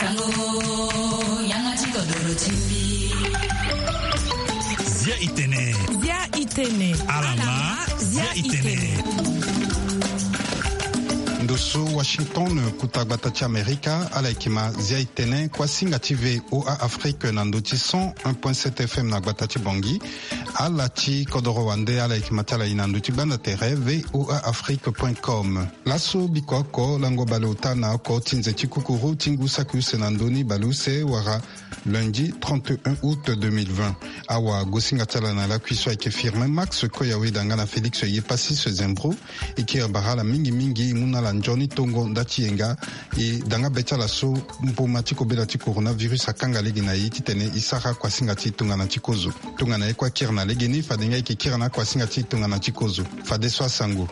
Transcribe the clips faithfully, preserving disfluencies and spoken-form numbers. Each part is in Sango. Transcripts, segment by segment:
Zia itene. Zia itene. Alama. Zia itene. Ndo so Washington, kuta gbata ti Amerika, ala yeke ma Zia itene, kuasinga ti V O A Afrique na ndo ti cent un point sept F M na gbata ti Bangui. Ala ti kodoro wande, ala yeke ma ti ala i na ndo ti gbanda tere V O A Afrique point com. Laso biko oko lango baleota na oko ti nze ti kukuru ti ngu saki use na ndö ni baleuse wala lundi trente et un août deux mille vingt. Awagosinga ti ala na lakui so ayeke Firmin Max Koyaweda nga na Félix Yepassis Zembro. E kiri bara ala mingi mingi, e mu na ala nzoni tongo nda ti yenga. E danga be ti ala so mboma ti kobela ti coronavirus akanga lege na e titene e sara kuasinga ti tongana ti kozo. Tongana ye kue akiri na legeni, fade nga e yeke kiri na akuasinga ti tongana ti kozo. Fadeso asango.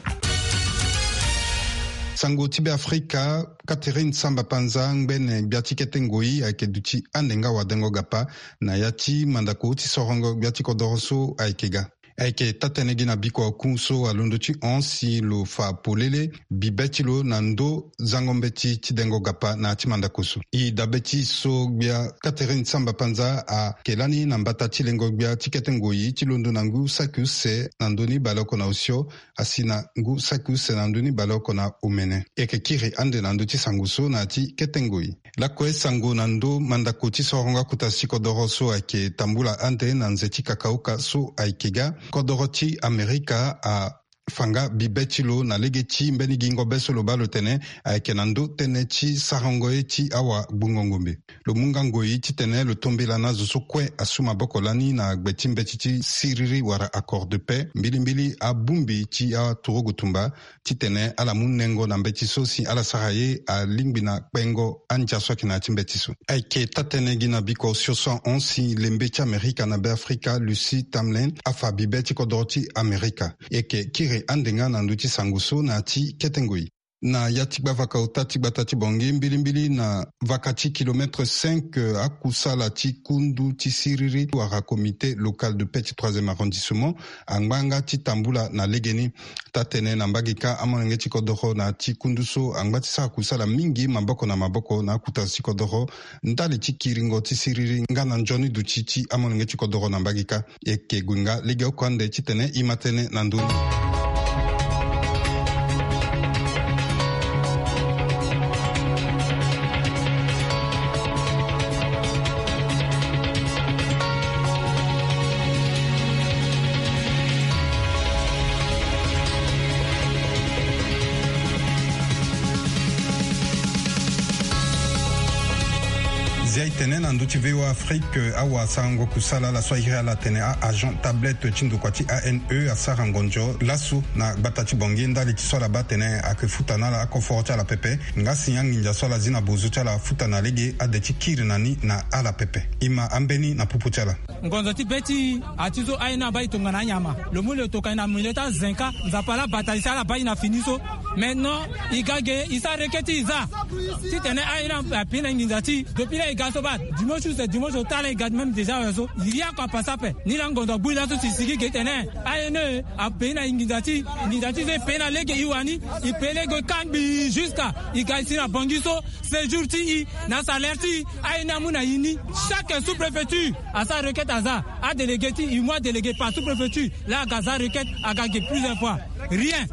Sango ti Beafrika. Catherine Samba Panza, ngbene gbia ti kete ngoi, ayeke duti ande nga wadengo gapa na ya ti mandako ti sorongo gbia ti kodoro so ayeke ga. Ayeke taa-tënë gi na biko aku so alondo ti hon si lo fa polele bibe ti lo na ndö zango mbeti ti dengo gapa na ya ti mandako so. E dabe ti so gbia Catherine Samba Panza ayeke lani na mbata ti lengo gbia ti kete ngoi ti londo na ngu saki use na ndö ni baleoko na osio, asi na ngu saki use na ndö ni baleoko na omene. E yeke kiri ande na ndö ti sango so na ya ti kete ngoi. Lakue sango na ndö mandako ti sorongo akuta si kodoro so ayeke tambula ande na nze ti kakaoka so ayeke ga. Kodoro ti Amerika afa nga bibe ti lo na lege ti mbeni gingo be so lo baa lo tene ayeke na ndö tënë ti sarango ye ti awagbungo ngombe. Lo mu nga ngoi titene lo tombela na azo so kue asu maboko lani na gbe ti mbeti ti siriri wala accord de paix, mbilimbili abongbi ti aturugu tumba, titene ala mu nengo na mbeti so si ala sara ye alingbi na kpengo andia so ayeke na ya ti mbeti so. Ayeke taa-tënë gi na biko osio so ahon si lembe ti Amerika na Beafrika, Lucie Tamlyn, afa bibe ti kodoro ti Amerika. E yeke kiri ande nga na ndö ti sango so na ya ti kete ngoi. Na ya ti gbavaka ota ti gbata ti Bangui, mbilimbili na vaka ti kilomètre cinq, eh, akusala ti kundu ti siriri wala comité local de paix ti troisième arrondissement angba nga ti tambula na legeni. Taa-tënë na mbage kâ, amolenge ti kodoro na ya ti kundu so angba ti sara kusala mingi maboko na maboko na akuta ti kodoro ndali ti kiringo ti siriri nga na nzoni duti ti amolenge ti kodoro na mbage kâ. E yeke gue nga legeoko ande titene e ma tënë na ndö ni. Zia e tene na ndö ti V O A Afrique, awasarango kusala ala so a iri ala atene a-agent tablette ti ndokua ti A N E asara ngonzo laso na gbata ti Bangui ndali ti so ala baa atene ayeke futa na ala akoforo ti ala pepe. Nga si anginza so ala zi na bozo ti ala afuta na lege ade ti kiri na ni na ala pepe. E ma ambeni na popo ti ala. Ngonzo ti be ti a ti so aye ni abaa e tongana anyama. Lo mu lo toka e na milieu ti azen kâ, Nzapa laa bata e si ala baa e na fini so. Maintenant e ga ge e sara reke ti e za titene aye ni ape na nginza ti e. Depuis laa e ga so baa dimanche use dimanche ota laa e ga même déjà awe so. Rien ko apasa ape. Ni laa ngonzo agbu e laso si e sigi ge titene aye ni ape na nginza ti e. Nginza ti e so e pe na lege e wani. E pe lege kâ ngbii jusqu'à e ga e si na Bangui so. Séjour ti e na salaire ti e, aye ni amu na e ni. Chaque sous-préfecture asara requête aza. Adélégué ti e, e mu adélégué par sous-préfecture. Laa aga aza requête, aga ge plusieurs fois. Rien.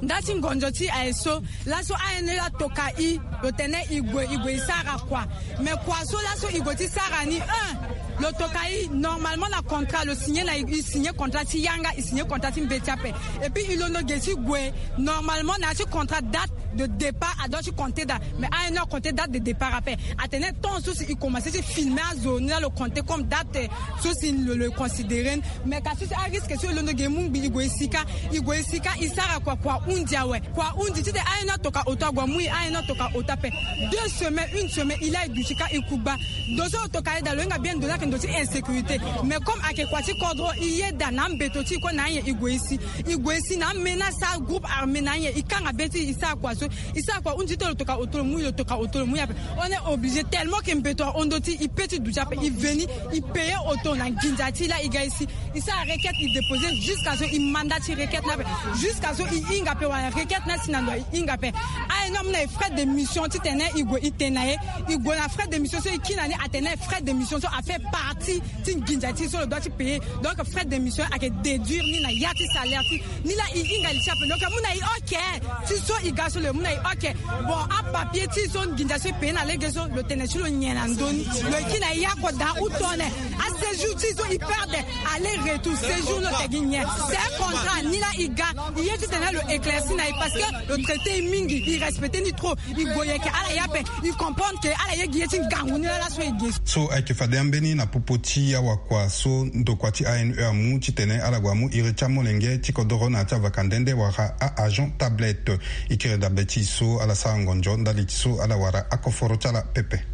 Nda ti ngonzo ti e aye so, laso aye ni atoka e, lo tene e gue, e gue e sara kua. Mais kua so laso e gue ti sara ni, un, lo toka e normalement na contrat, lo signé na e, e signé contrat ti yanga, e signé contrat ti mbeti ape. Et puis e londo ge ti gue normalement na ya ti contrat, date de départ a doit ti compter date. Mais aye ni acompter date de départ ape. Atene temps so si e commencé ti filmer azo ni laa lo compter comme date, eh, so si lo, lo considéré ni. Mais ka so si arisque so e londo ge e mu ngbii e gue e si kâ, e gue e si kâ, e sara kua, kua hundi awe. Kua hundi titene aye ni atoka ota ague amu e, aye ni atoka ota ape. Deux semaines, une semaine, e laa e duti kâ e kugba. Ndo so lo toka e daa lo hinga bien, ndo ni ayeke ndo ti insécurité. Mais comme ayeke kua ti kodro, e yeda na ambeto ti e kue na anyen e gue e si. E gue e si na amena, sara groupe armé na anyen, e kanga be ti e, e sara kua so. E sara kua hundi ti lo toka oto lo mu e, lo toka oto lo mu e ape. On est obligé tellement que mbeto ahon ndo ti e, e pe ti duti ape, e veni, e payer oto na nginza ti e laa e ga e si. E sara requête, e déposer jusqu'à so e mandat ti requête ni ape. Jusqu'à so e hinga ape wala requête ni asi na ndo e hinga ape. Aye ni amu na e frais de mission. Titene e gue e tene na e, e gue na frais d'émission so e kiri na ni, atene frais d'émission so a fait partie ti nginza ti e so lo doit ti payer. Donc frais d'émission ayeke déduire ni na ya ti salaire ti e. Ni laa e hinga li ti ape, lo yeke mu na e oke. Ti so e ga so lo yeke mu na e oke. Bon, apapier ti e so nginza so e payer na lege so, lo tene ti lo nyen na ndö ni? Lo yeke kiri na e oko daa ou tone. Aséjour ti e so e perdre, aller retour séjour, lo tene gi nyen? C'est un contrat. Ni laa e ga, e ye titene lo éclairci na e, parce que lo traité e mingi, e respecté ni trop. E gue, e yeke ala ye ape, e comprendre ke ala ye gi ye ti ngangu ni laa laso e ge. So ayeke fade ambeni na popo ti awakua so ndokua ti A N E amu, titene ala gue amu iri ti amolenge ti kodoro na ya ti avaka nde nde wala a-agent tablette. E kiri dabe ti e so ala sara ngonzo ndali ti so ala wara akoforo ti ala pepe.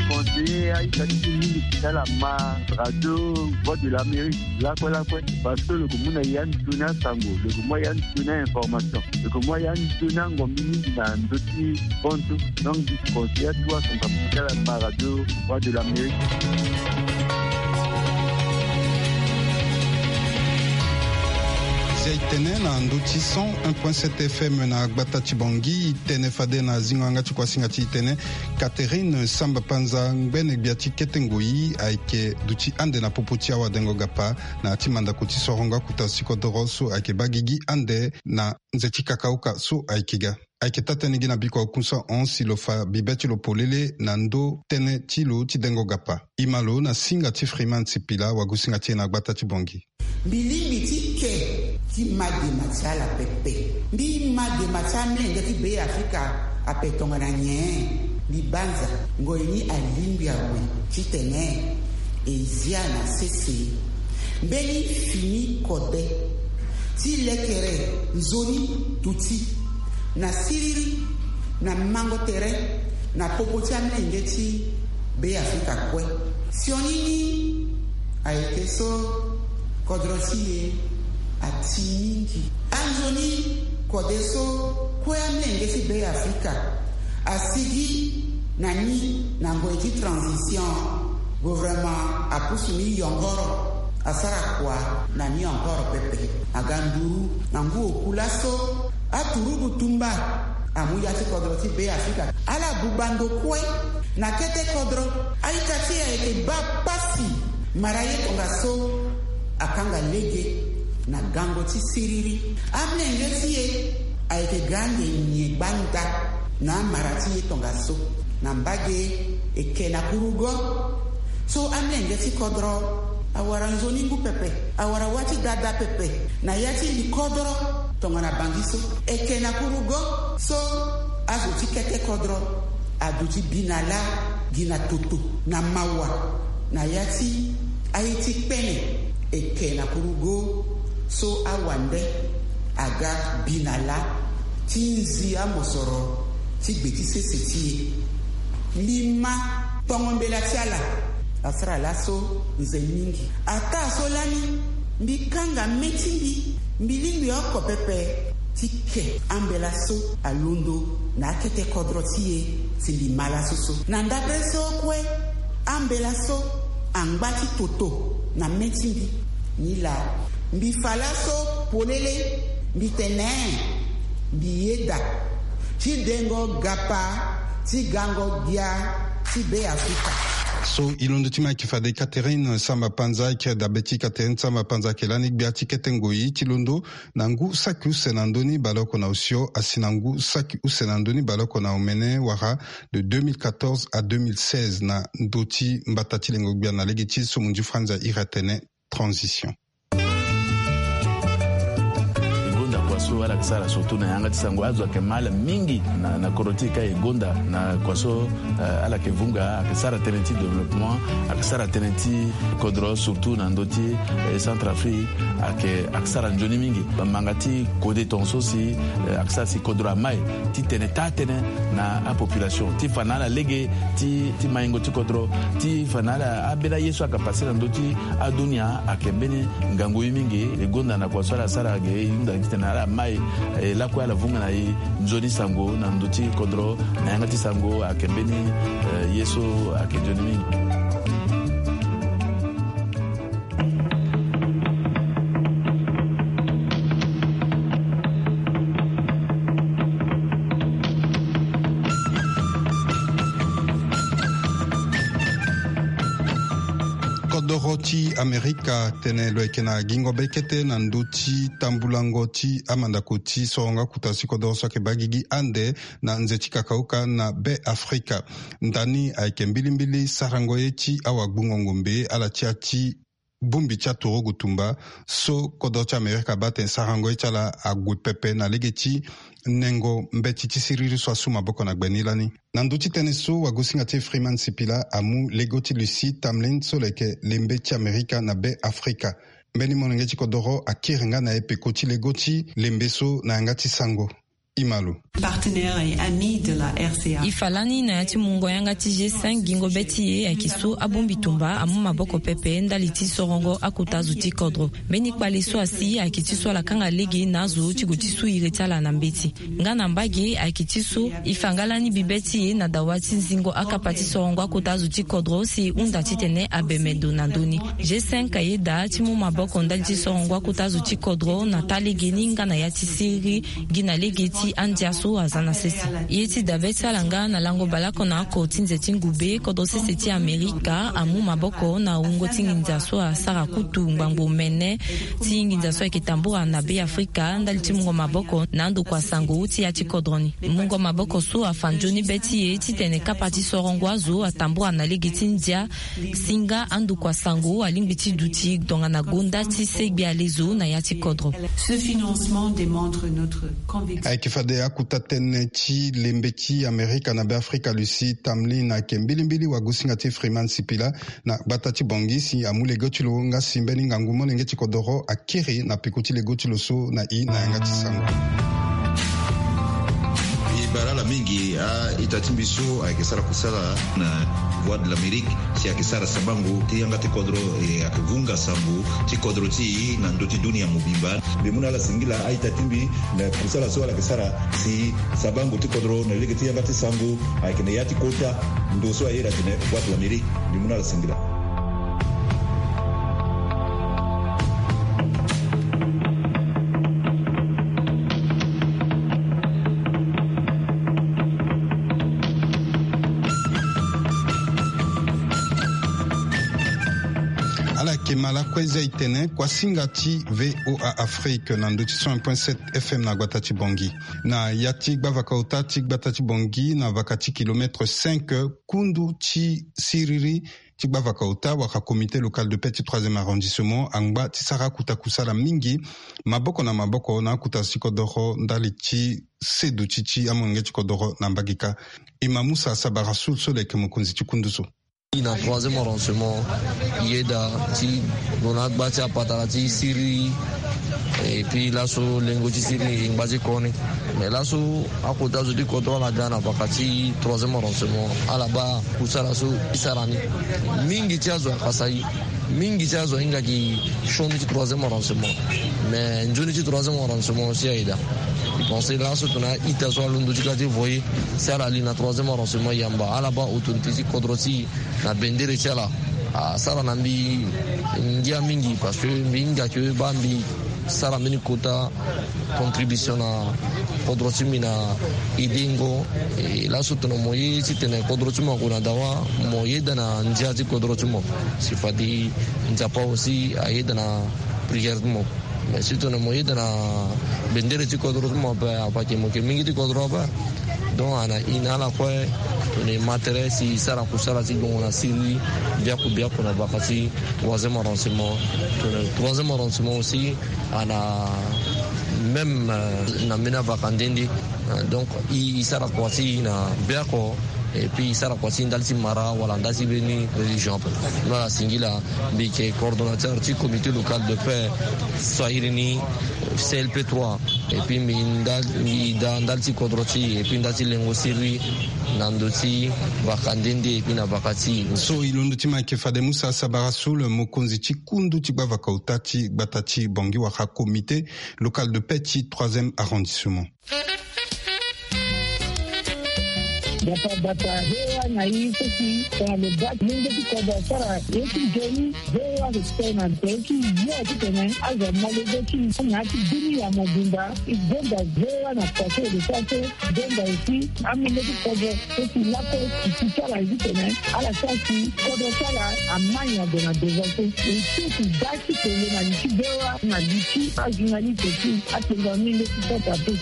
Conseiller aita ti e mingi ti ala ma radio Voix de l'Amérique lakue lakue, parce que lo yeke mu na e ande toni asango, lo yeke mu na e ande toni a-information, lo yeke mu na e ande toni angombi mingi na ndö ti konso. Donc mbi conseiller atuwa asango ti ala ma radio Voix de l'Amérique. Zia e tene na ndö ti cent un point sept F M na gbata ti Bangui, e tene fade na zingo yanga ti kuasinga ti e tene Catherine Samba Panza, ngbene gbia ti kete ngoi, ayeke duti ande na popo ti awadengo gapa na ya ti mandako ti sorongo akuta ti kodoro so ayeke baa gigi ande na nze ti kakauka so ayeke ga. Ayeke taa-tënë gi na bikua okunso ahon si lo fa bibe ti lo polele na ndö tënë ti lo ti dengo gapa. E ma lo na singa ti Freeman Sipila, wagosinga ti e na gbata ti Bangui. Mbi lingbi ti ke ti ma dema ti ala pepe. Mbi ma dema ti amolenge ti Be Afrika ape tongana nyen? Mbi banza ngoi ni alingbi awe titene e zia na sese mbeni fini kode ti lekere nzoni duti na siriri na mango tere na popo ti amolenge ti Be Afrika kue. Sioni ni ayeke so kodro ti e ati mingi. Anzoni kode so kue amolenge ti Be Afrika asigi na ni na ngoi ti transition. Gouvernement apusu ni yongoro, asara kua na ni encore pepe. Aga nduru na ngu oku laso aturugu tumba amu ya ti kodro ti Be Afrika. Ala buba ndo kue na kete kodro. A-ita ti e ayeke baa pasi. Mara ye tongaso akanga lege na gango ti siriri. Amolenge ti e ayeke ga ande nyen gbanda na amara ti ye tongaso. Na mbage e ke na kurugo. So amolenge ti kodro awara nzoni ngu pepe, awara wâ ti dada pepe na ya ti li kodro. Tongana bangi so e ke na kurugo, so azo ti kete kodro aduti bi na lâ gi na toto na mawa na ya ti aye ti kpene. E ke na kurugo so awande aga bi na lâ ti nzi amosoro ti gbe ti sese ti e. Mbi ma tongo mbela ti ala asara laso nze mingi. Ataa so lani mbi kanga me ti mbi, mbi lingbi oko pepe ti ke ambela so alondo na akete kodro ti e si mbi ma laso so. Na ndapre so kue ambela so angba ti toto na me ti mbi. Nilaa mbi fa laso polele, mbi tene mbi yeda ti dengo gapa ti gango gbia ti Be Afrika. So e londo ti ma ayeke fade Catherine Samba Panza, e kiri dabe ti Catherine Samba Panza ayeke lani gbia ti kete ngoi ti londo na ngu saki use na ndö ni baleoko na osio asi na ngu saki use na ndö ni baleoko na omene wala de deux mille quatorze à deux mille seize na ndö ti mbata ti lengo gbia na lege ti so munzu franza iri atene transition. E gonda kua so ala yeke sara surtout na yanga ti sango, azo ayeke ma ala mingi na, na kodro ti e ka e gonda na kua so, eh, ala yeke vunga, ayeke sara tënë ti développement, ayeke sara tënë ti kodro surtout na ndö ti, eh, Centrafrique, ayeke, ayeke sara nzoni mingi. Manga ti kode tongaso si, eh, ayeke sara si kodro amai titene taa tënë na apopulation ti fa na ala lege ti, ti maingo ti kodro, ti fa na ala ambeni aye so ayeke pase na ndö ti adunia ayeke mbeni ngangu ye mingi. E gonda na kua so ala sara ge e hunda titene ala mai, eh, lakue ala vunga na e nzoni sango na ndö ti kodro na yanga ti sango ayeke mbeni, eh, ye so ayeke nzoni mingi. Kodoro ti Amerika atene lo yeke na gingo be kete na ndö ti tambulango ti amandako ti sorongo akuta ti kodoro so ayeke baa gigi ande na nze ti kakauka na Be Afrika. Ndani ayeke mbilimbili sarango ye ti awagbungo ngombe ala ti ya ti bongbi ti aturugu tumba so kodro ti Amerika abaa tene sarango ye ti ala ague pepe na lege ti nengo mbeti ti siriri so asu maboko na gbe ni lani. Na ndö ti tënë so, wagosinga ti e Freeman Sipila amu lego ti Lucie Tamlyn so lo yeke lembe ti Amerika na Be Afrika. Mbeni molenge ti kodoro akiri nga na e peko ti lego ti lembe so na yanga ti sango. Imalo. Partenaire et ami de la R C A. E fa lani na ya ti mungo yanga ti G cinq, gingo be ti e ayeke so abongbi tumba amu maboko pepe ndali ti sorongo akota zo ti kodro. Mbeni kpale so asi ayeke ti so ala kanga lege na azo ti gue ti su iri ti ala na mbeti. Nga na mbage ayeke ti so e fa nga lani bibe ti e na dawa ti zingo akapa ti sorongo akota zo ti kodro si e hunda titene abeme ndo na ndö ni. G cinq ayeda ti mu maboko ndali ti sorongo akota zo ti kodro na taa lege ni nga na ya ti siriri gi na lege ti andia so aza na sese. Ye ti dabe ti ala nga na lango baleoko na oko ti nze ti ngube, kodro sese ti Amerika amu maboko na wungo ti nginza so asara kutu ngbangbo mene ti nginza so ayeke tambura na Be Afrika ndali ti mungo maboko na andokua sango ti ya ti kodro ni. Mungo maboko so afa nzoni be ti e titene kapa ti sorongo azo atambura na lege ti ndia si nga andokua sango alingbi ti duti tongana gonda ti segbe alezo na ya ti kodro. Ce financement démontre notre conviction. Ayeke fade akuta tënë ti lembe ti Amerika na Be Afrika, Lucie Tamlyn ayeke mbilimbili wagosinga ti Freeman Sipila na gbata ti Bangui si amu lego ti lo nga si mbeni ngangu molenge ti kodoro akiri na peko ti lego ti lo so na e na yanga ti sango. E bara ala mingi a-ita ti mbi so ayeke sara kusala na Voix de l'Amérique si ayeke sara sabango ti yanga ti kodro, e ayeke vunga sango ti kodro ti e na ndö ti dunia mobimba. Mbi mu na ala singila a-ita ti mbi na kusala so ala yeke sara si sabango ti kodro na lege ti yanga ti sango ayeke na ya ti kota ndo so aye iri atene Voix de l'Amérique. Mbi mu na ala singila. Ala yeke ma lakue za e tene kuasinga ti V O A Afrique na ndö ti cent un point sept F M na gbata ti Bangui. Na ya ti gbavaka ota ti gbata ti Bangui na vaka ti kilomètre cinq, kundu ti siriri ti gbavaka ota wala comité local de paix ti troisième arrondissement angba ti sara akuta kusala mingi maboko na maboko na akuta ti kodoro ndali ti seduti ti amolenge ti kodoro na mbage kâ. E ma Musa Sabara Soul so lo yeke mokonzi ti kundu so. Na troisième arrondissement, yeda ti gue na agba ti apatara ti siriri. Et puis laso lengo ti siriri e ngba ti koni. Mais laso akota zo ti kodro ala ga na vaka ti troisième arrondissement, ala baa kusala so e sara ni. Mingi ti azo akasa e. Mingi ti azo ahinga gi sioni ti troisième arrondissement. Mais nzoni ti troisième arrondissement si ayeda. E pense laso tongana a-ita so alondo ti ka ti voye si ala li na troisième arrondissement yamba, ala baa autorité ti kodro ti e na bendere ti ala asara na mbi ngia mingi, parce que mbi hinga ke baa mbi sara mbeni kota contribution na kodro ti mbi na edengo. E laso tongana mo ye titene kodro ti mo ague na dawa, mo yeda na ndia ti kodro ti mo. Si fade Nzapa aussi ayeda na prière ti mo. Mais si tongana mo yeda na bendere ti kodro ti mo ape, ape ayeke mo yeke mingi ti kodro ape. Donc ana e na ala kue tongana e ma tere si e sara kusala ti gongo na siriri biaku biaku na vaka ti troisième arrondissement. Tongana troisième arrondissement aussi ana même, euh, na mbeni avaka nde nde. Euh, donc e, e sara kua ti e na biaku. Et puis e sara kua ti e ndali ti mara wala ndali ti mbeni religion ape. Mbi na ala singila, mbi yeke coordonnateur ti comité local de paix so a iri ni C L P trois. Et puis mbi ndali, mbi da ndali ti kodro ti e, et puis ndali ti lengo siriri na ndö ti vaka nde nde, et puis na vaka ti e. So e londo ti ma ayeke fade Musa Sabara Soul, mokonzi ti kundu ti gbavaka ota ti gbata ti Bangui wala comité local de paix ti troisième arrondissement. Bata bata hewa na i soki tongana lo bati lenge ti kodro asara ye ti nzoni. Hewa lo tene na nze ti yo ti tene azo malege ti na ti dunia mobimba. I gbonda hewa na pase de pase. Gbonda esi amenge ti kodro soki lako ti ti sara ye ti tene ala sara si kodro sara amai na gue na devance. E soki bati tele na li ti hewa na li ti ajournaliste ti atengo amenge ti kota pe.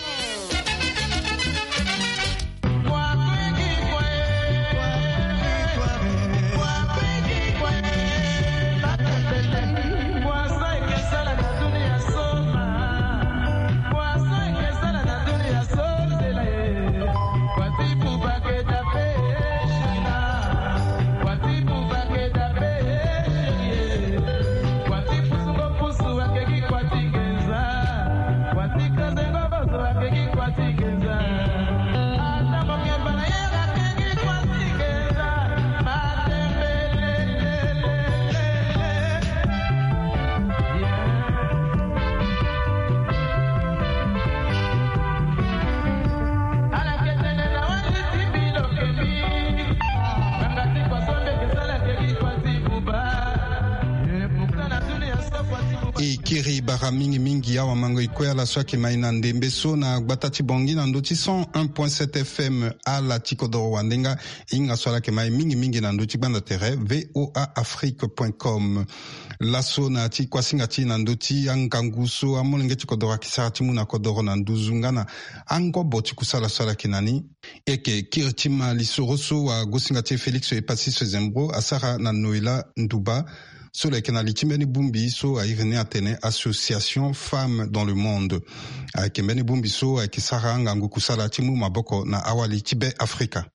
E kiri bara mingi mingi awamango e kue ala so ayeke mai na ndembe so na gbata ti Bangui na ndö ti cent un point sept F M. Ala ti kodoro wande nga e hinga so ala yeke mai mingi mingi na ndö ti gbanda tere V O A Afrique point com. Laso na ya ti kuasinga ti e na ndö ti angangu so amolenge ti kodoro ayeke sara ti mu na kodoro na nduzu nga na angobo ti kusala so ala yeke na ni. E yeke kiri ti ma lisoro so wagosinga ti e Félix Epassy Sezembro asara na Noëlla Ndouba, so lo yeke na li ti mbeni bongbi so airi ni atene Association Femmes dans le Monde. Ayeke mbeni bongbi so ayeke sara angangu kusala ti mu maboko na awali ti Be Afrika.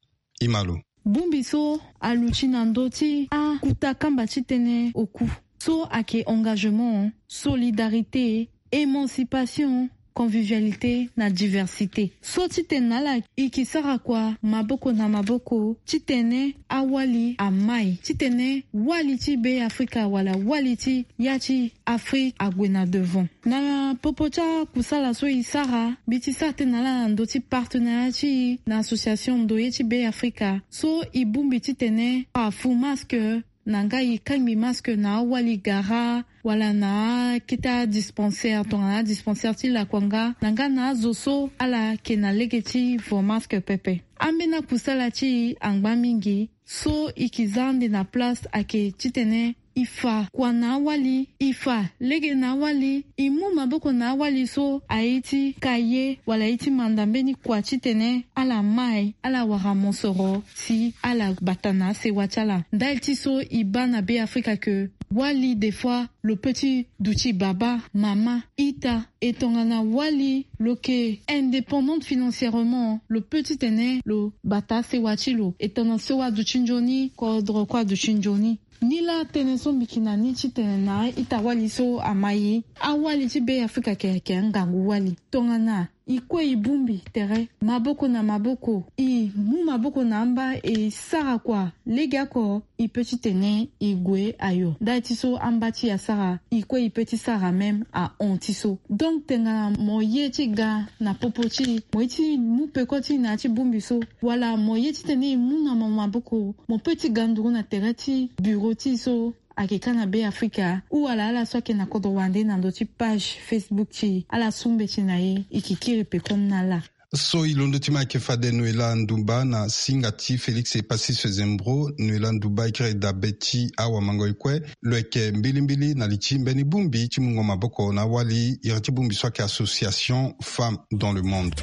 E ma lo. Bongbi so aluti na ndö ti akuta kamba ti tënë oku so ayeke engagement, solidarité, émancipation, convivialité na diversité. So titene na ala e ke sara kua maboko na maboko titene awali amai, titene wali ti Be Afrika wala wali ti ya ti Afrique ague na devant. Na popo ti akusala so e sara, mbi ti sara tënë na ala na ndö ti partenariat ti e na association Ndoye ti Be Afrika so e bongbi titene afu masque na nga e kangbi masque na awali gara wala na akete adispensaire tongana adispensaire ti lakua nga na nga na azo so ala yeke na lege ti vo masque pepe. Ambeni akusala ti e angba mingi so e ke za ande na place ayeke titene e fa kua na awali, e fa lege na awali, e mu maboko na awali so aye ti ka ye wala aye ti manda mbeni kua titene ala mai ala wara mosoro si ala bata na asewa ti ala. Ndali ti so e baa na Be Afrika ke wali des fois lo peut ti duti baba, mama, ita, e tongana wali lo yeke indépendante financièrement, lo peut titene lo bata asewa ti lo. E tongana sewa aduti nzoni, kodro kue aduti nzoni. Nilaa tënë so mbi yeke na ni titene na a-ita-wali so amai, awali ti Be Afrika ayeke, ayeke angangu wali. Tongana e kue e bongbi tere maboko na maboko, e mu maboko na amba, e sara kua legeoko, e peut titene e gue ayo. Ndali ti so amba ti e asara, e kue e peut ti sara même ahon ti so. Donc tongana mo ye ti ga na popo ti e, mo ye ti mu peko ti e na ya ti bongbi so, wala mo ye titene e mu na mo maboko, mo peut ti ga nduru na tere ti bureau ti e so ayeke ka na Be Afrika, ou wala ala so ayeke na kodro wande na ndö ti page Facebook ti e, ala su mbeti na e, e yeke kiri pekoni na ala. So e londo ti ma ayeke fade Noëlla Ndumba na singa ti Félix Epassy Sezembro. Noëlla Ndumba e kiri dabe ti awamango e kue. Lo yeke mbilimbili na li ti mbeni bongbi ti mungo maboko na awali, iri ti bongbi so ayeke Association Femmes dans le Monde.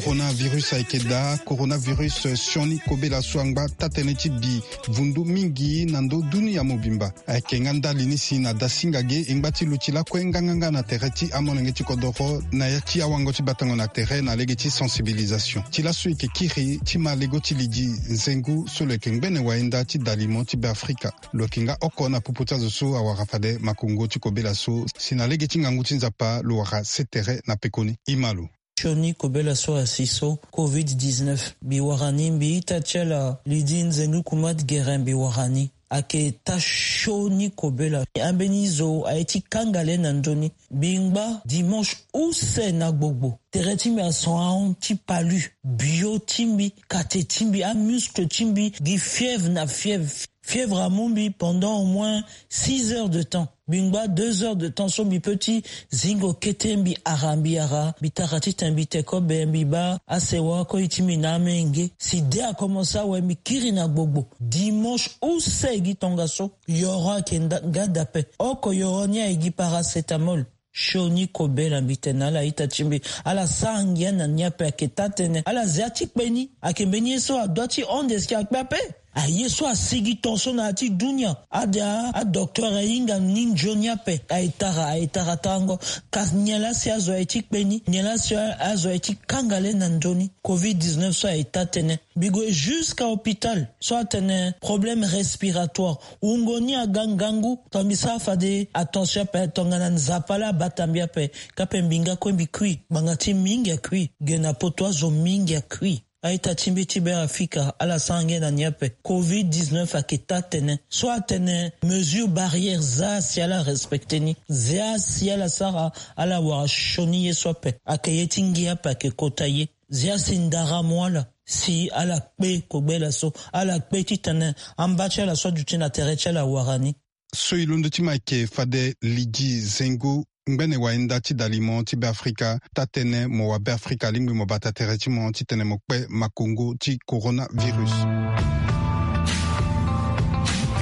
Coronavirus ayeke daa. Coronavirus sioni kobela so angba taa-tënë ti bi vundu mingi na ndö dunia mobimba. Ayeke nga ndali ni si na dasinga ge e ngba ti luti lakue nganganga na tere ti amolenge ti kodoro na ya ti awango ti batango na tere na lege ti sensibilisation. Ti laso e yeke kiri ti ma lego ti lidi nzengu so lo yeke ngbene wayenda ti dalimo ti Be Afrika. Lo yeke nga oko na popo ti azo so awara fade makongo ti kobela so si na lege ti ngangu ti Nzapa lo wara se tere na pekoni. E ma lo. Sioni kobela so asi so covid dix-neuf mbi wara ni, mbi ita ti ala Lydie Nzengu Kumat Guérin mbi wara ni. Ayeke taa sioni kobela. Ambeni zo aye ti kanga le na ndö ni. Mbi ngba dimanche use na gbogbo. Tere ti mbi ason ahon ti palu. Bio ti mbi, kate ti mbi, amuscle ti mbi gi fièvre na fièvre. Fièvre amu mbi pendant au moins six heures de temps. Mbi ngba deux heures de temps so mbi peut ti zingo kete, mbi ara, mbi ara, mbi tara titene mbi te kobe, mbi baa asewa koi ti mbi na amenge. Si de akomense awe, mbi kiri na gbogbo. Dimanche use gi tongaso, yoro ayeke nda-, nga daa ape. Oko yoro ni aye gi paracétamol. Sioni kobela, mbi tene na ala ita ti mbi, ala sara ngia na ni ape, ayeke taa tënë. Ala zia ti kpe ni. Ayeke mbeni ye so adoit ti hon de si akpe ape. Aye so asigi ton so na ya ti dunia. Ade a, adocteur ahinga ni nzoni ape. Aye tara, aye tara tarango. Kasi nyen laa si azo aye ti kpe ni? Nyen laa si azo aye ti kanga le na ndö ni? Covid dix-neuf so aye taa tënë. Mbi gue jusqu'à hôpital so atene problème respiratoire. Wungo ni aga ngangu. Tongana mbi sara fade attention ape, tongana Nzapa laa abata mbi ape, ka mpe mbi nga kue mbi kui. Ngbanga ti mingi akui. Ge na poto azo mingi akui. A-ita ti mbi ti Beafrika, ala sara ngia na ni ape. Covid dix-neuf ayeke taa tënë. So atene mesure barrière, zia si ala respecter ni. Zia si ala sara, ala wara sioni ye so ape. Ayeke ye ti ngia ape, ayeke kota ye. Zia si ndara amu ala, si ala kpe kobela so, ala kpe titene amba ti ala so aduti na tere ti ala awara ni. So e londo ti mo ayeke fade Lydie Zengu, ngbene wayenda ti dalimo ti Beafrika, taa tënë mo wa Beafrika alingbi mo bata tere ti mo titene mo kpe makongo ti coronavirus.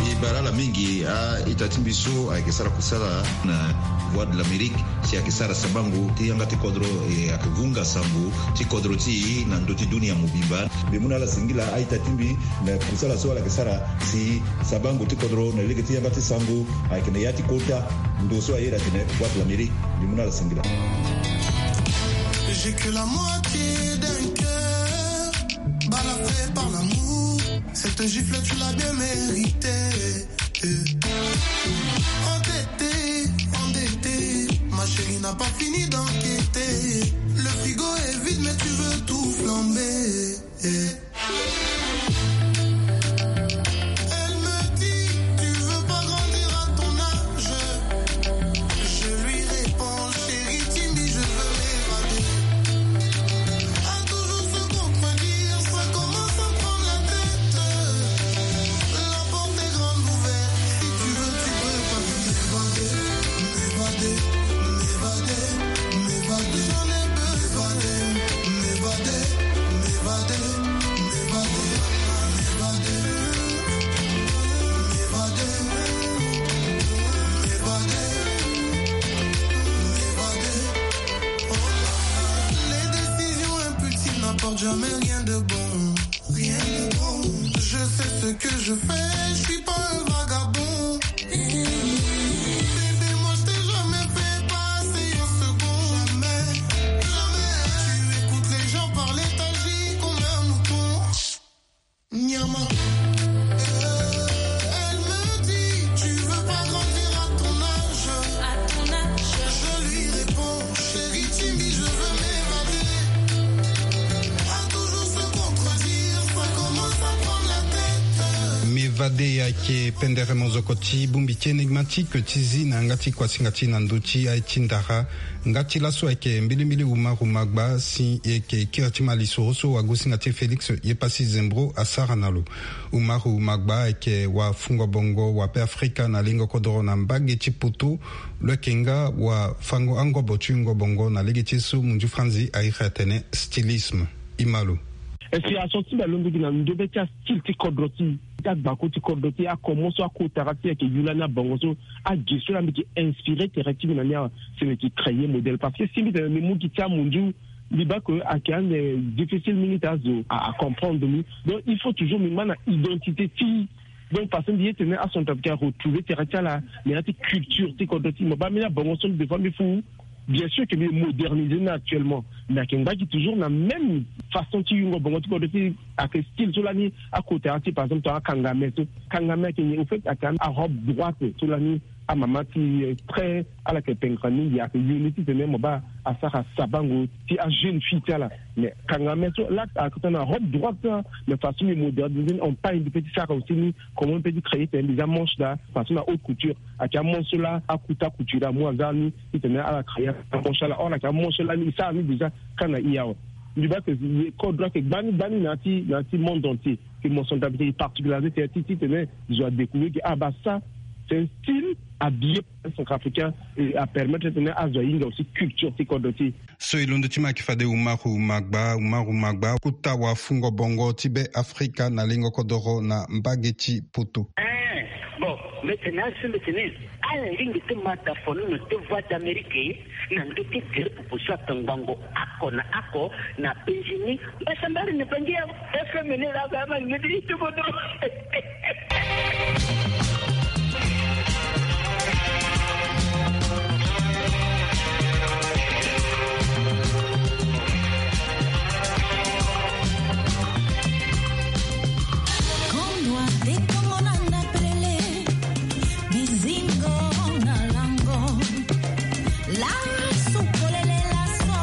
E bara ala mingi a-ita ti mbi so ayeke sara kusala na Voix de l'Amérique, si ayeke sara sabango ti yanga ti kodro, e ayeke vunga sango ti kodro ti e na ndö ti dunia mobimba. Mbi mu na ala singila a-ita ti mbi na kusala so ala yeke sara si sabango ti kodro na lege ti yanga ti sango ayeke na ya ti kota ndo so ayeda atene Voix de l'Amérique. Mbi mu na ala singila. J'ai que la moitié d'un cœur, balafré par l'amour. Cette gifle, tu l'as bien méritée. Endetté, endetté, ma chérie n'a pas fini d'enquêter. Le frigo est vide, mais tu veux tout flamber. Elle me dit, tu veux pas grandir à ton âge. Je lui réponds, chérie, timide, je veux m'évader. À toujours se contredire, ça commence à prendre la tête. La porte est grande ouverte, si tu veux, tu peux partir. M'évader, m'évader, m'évader, m'évader. J'en ai besoin. M'évader, m'évader, m'évader, m'évader, m'évader, m'évader, m'évader. Oh, les décisions impulsives n'apportent jamais rien de bon. Rien de bon. Je sais ce que je fais, je suis pas un vagabond. Bébé, moi je t'ai jamais fait passer une seconde. Jamais, jamais. Tu écoutes les gens parler, t'agis comme un mouton. Nyama. Elle me dit, tu veux pas grandir à ton âge. À ton âge. Je lui réponds, chérie, timide, je veux m'évader. À toujours se contredire, ça commence à prendre la tête. M'évader ayeke pendere mozoko ti bongbi ti enigmatique ti zi na yanga ti kuasinga ti na ndö ti aye ti ndara. Nga ti laso ayeke mbilimbili Umaru Magba, si e yeke kiri ti ma lisoro so wagosinga ti e Félix Yepasi Zembro asara na lo. Umaru Magba ayeke wafungo bongo wa Beafrika na lingo kodoro na mbage ti poto. Lo yeke nga wafango angobo ti yungo bongo na lege ti e so munzu franzi a iri atene stylisme. E ma lo. Inspiration ti mbi alondo gi na ndobe ti astyle ti kodro ti e, ti agbako ti kodro ti e, akomo so akotara ti e ayeke yu lani abongo so, ague so laa mbi yeke inspiré tere ti mbi na ni awe, si mbi yeke créer modèle. Parce que si mbi tene mbi mu gi ti amunzu, mbi baa que ayeke ande difficile mingi ti azo a, a comprendre mbi. Donc il faut toujours mbi ma na identité ti e. Donc parce que mbi ye tene acentrafricain aretrouver tere ti ala na ya ti culture ti kodro ti e. Mo baa mbeni abongo so des fois mbi fou. Bien sûr que mbi moderniser ni actuellement, mais ayeke ngba gi toujours na même façon ti yungo bongo ti kodro ti e. Ayeke style so lani akotara ti e, par exemple, tongana akangame so. Kangame ayeke nyen? Au fait ayeke arobe droite so lani amama ti, eh, très, ala yeke pengre mingi, ayeke yoni titene mo baa asara sabango ti ajeune fille ti ala. Mais kangame so laa ayeke tongana robe droite, mais façon mbi moderniser ni, on pagne, mbi peut ti sara aussi ni, comment mbi peut ti créer titene mbi za manche daa façon na haute couture. Ayeke amanche so laa akuta couture amu aza ni titene ala créer amanche ala. Or ayeke amanche so laa ni e sara ni déjà ka na i awe. Mbi baa que kodro ayeke gbani gbani na ya ti, na ya ti monde entier. Ke mo so daa mbi te e particularisé ti, ti, titene zo adécouvrir que, ah, baa ça c'est un style habillé par un centrafricain et apermettre titene azo ahinga aussi culture ti kodro ti e. So e londo ti ma ayeke fade Umaru Magba. Umaru Magba, kota wafungo bongo ti Be Afrika na lengo kodoro na mbage ti poto. Eh, bon, maintenant, ce maintenant, ala lingbi ti ma da fonono ti Voix d'Amérique na ndö ti gere popo so atongbango oko na oko na Benjini. Mbasambari ni bangi ya F M ni la ga ma ngedi ti bodo. Kondwa te kongo na ndapelele, bizingo na lango. Laso polele laso,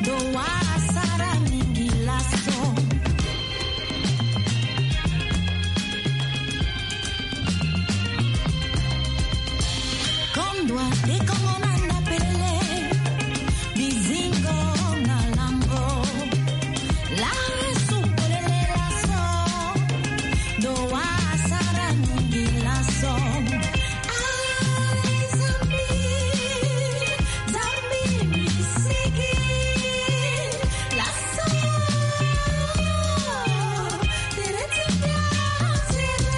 do wa asara mingi laso. Kondwa te kongo na ndapelele, bizingo na lango. Laso polele laso, do wa asara mingi laso. Ai Nzambi, Nzambi misigi, laso, tere ti mbi asere.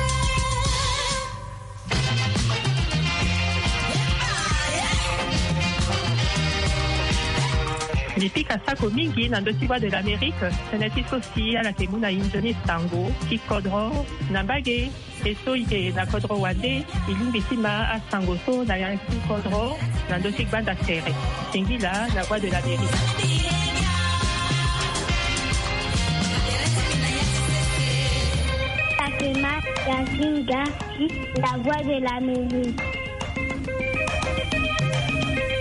Mbi pika sako mingi na ndö ti Voix de l'Amérique, tënë ti so si ala yeke mu na e nzoni sango ti kodro na mbage. E so e yeke na kodro wande, e lingbi ti ma asango so na ya ti kodro na ndö ti gbanda tere. Singila na Voix de l'Amérique. Fatima Yasinga, la Voix de l'Amérique.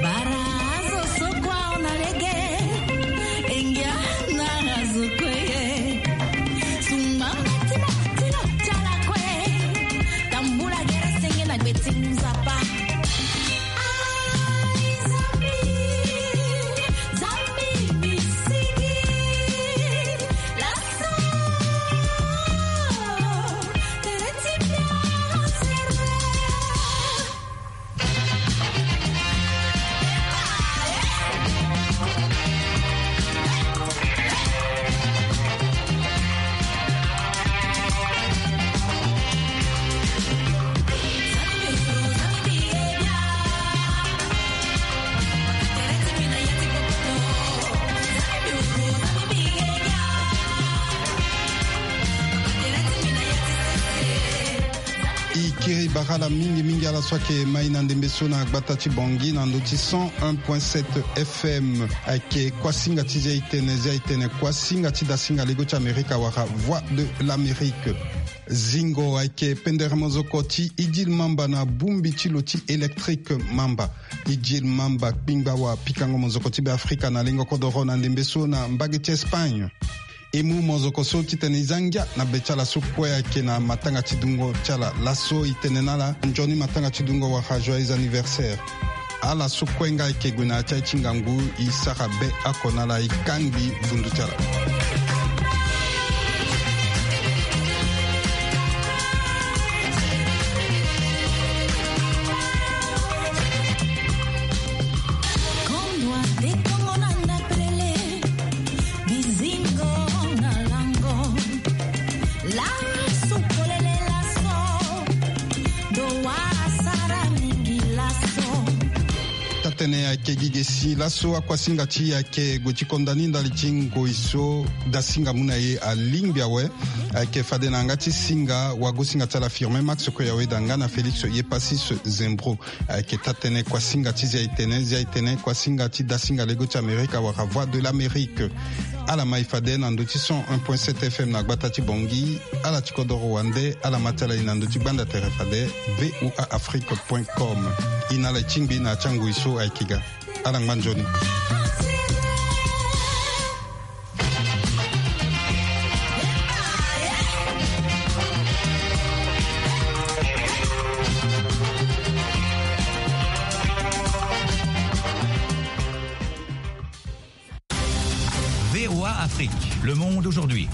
Bara azo so kua ona lege, engia na azo kue. Sumba mba ti mo ti lo ti ala kue. Tambula gere senge na gbe ti Nzapa. Ai Nzambi, Nzambi misigi. Laso, tere ti mbi asere. E kiri bara ala mingi mingi ala so ayeke mai na ndembe so na gbata ti Bangui na ndö ti cent un point sept F M. Ayeke kuasinga ti Zia-e-tene, Zia-e-tene, kuasinga ti dasinga lego ti Amerika wala Voix de l'Amérique. Zingo ayeke pendere mozoko ti Idil Mamba na bongbi ti lo ti électrique Mamba. Idil Mamba kpingba wa pikango mozoko ti Beafrika na lengo kodoro na ndembe so na mbage ti Espagne. E mu mozoko so titene e za ngia na be ti ala so kue ayeke na matanga ti dungo ti ala. Laso e tene na ala nzoni matanga ti dungo wala joyeux anniversaire. Ala so kue nga ayeke gue na ya ti aye ti ngangu, e sara be oko na ala, e kangbi vundu ti ala. Kondwa te kongo na ndapelele, bizingo na lango. Laso polele laso, do wa asara mingi laso. Taa-tënë ayeke gi ge si laso akuasinga ti e ayeke gue ti konda ni ndali ti ngoi so dasinga mu na e alingbi awe. Ayeke fade na yanga ti singa wagosinga ti ala Firmin Max Koyawe da nga na Félix Yepasis Zembro. Ayeke taa-tënë kuasinga ti Zia-e-tene, Zia-e-tene kuasinga ti dasinga lego ti Amerika wala Voix de l'Amérique. Ala ma e fade na ndö ti cent un point sept F M na gbata ti Bangui. Ala ti kodoro wande, ala ma ti ala e na ndö ti gbanda tere fade V O A Afrique point com. E na ala e tingbi na ya ti angoi so ayeke ga. Ala ngba nzoni. V O A Afrique, le monde aujourd'hui.